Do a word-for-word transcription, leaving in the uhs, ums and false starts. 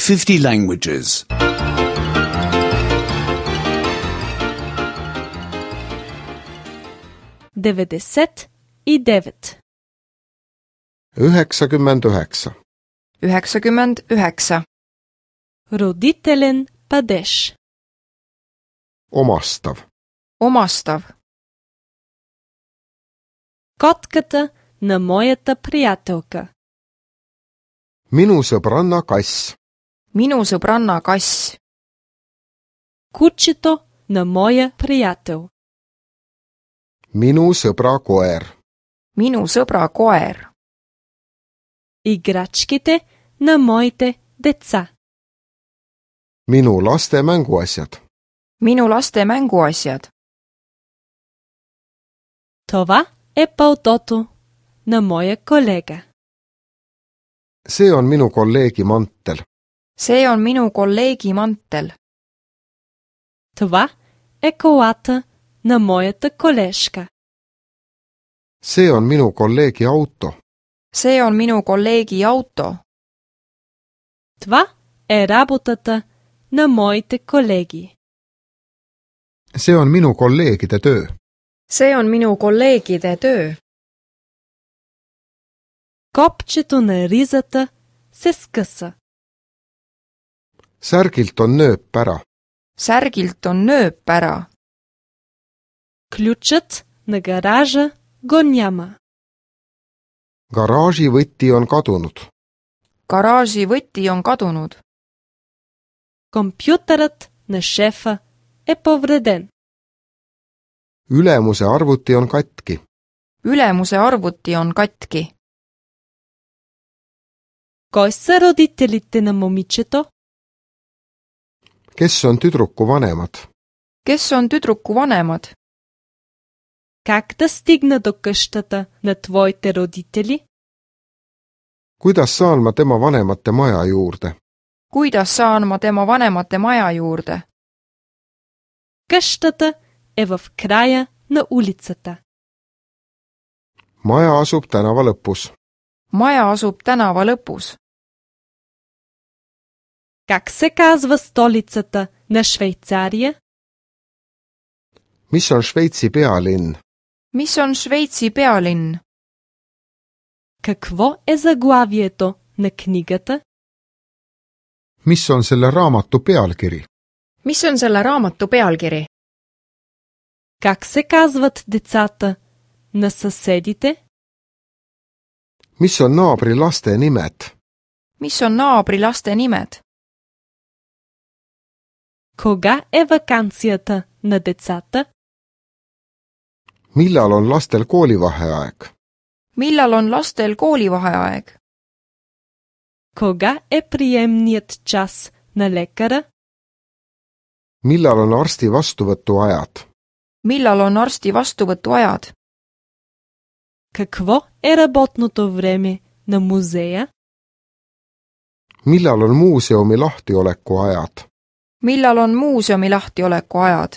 fifty languages. деветдесет и девет. üheksakümmend üheksa. üheksakümmend üheksa. Родителен падеж. Omastav. Omastav. Котката на моята приятелка. Minu sõbranna kass. Minu sõbranna kass. Кучето на моя приятел. Minu sõbra koer. Minu sõbra koer. Играчките на моите деца. Minu laste mänguasjad. Minu laste mänguasjad. Това е палтото на моя колега. See on minu kolleegi mantel. See on minu kolleegi mantel. Това е колата на моята колежка. See on minu kolleegi auto. See on minu kolleegi auto. Това е работата на моите колеги. See on minu kolleegide töö. See on minu kolleegide töö. Копчето на ризата се скъса. Särgilt on nööp ära. Särgilt on nööp ära. Ключът на гаража го няма. Garaaži võti on kadunud. Garaaži võti on kadunud. Компютърът на шефа е повреден. Ülemuse arvuti on katki. Ülemuse arvuti on katki. Кой са родителите на момичето? Kes on tüdruku vanemad? Kes on tüdruku vanemad? Как да стигна до къщата на твоите родители? Kuidas saan ma tema vanemate maja juurde? Kuidas saan ma tema vanemate maja juurde? Къщата е в края на улицата. Maja asub tänava lõpus. Maja asub tänava lõpus. Как се казва столицата на Швейцария? Mis on Šveitsi pealinn? Mis on Šveitsi pealinn? Какво е заглавието на книгата? Mis on selle raamatu pealkiri? Mis on selle raamatu pealkiri? Как се казват децата на съседите? Mis on naabri laste nimed? Mis on naabri laste nimed? Кога е ваканцията на децата? Millal on lastel koolivaheaeg? Millal on lastel koolivaheaeg? Кога е приемният час на лекара? Millal on arsti vastuvõtuajad? Millal on arsti vastuvõtuajad? Какво е работното време на музея? Millal on muuseumi lahtiolekuajad? Millal on muuseumi lahtioleku ajad?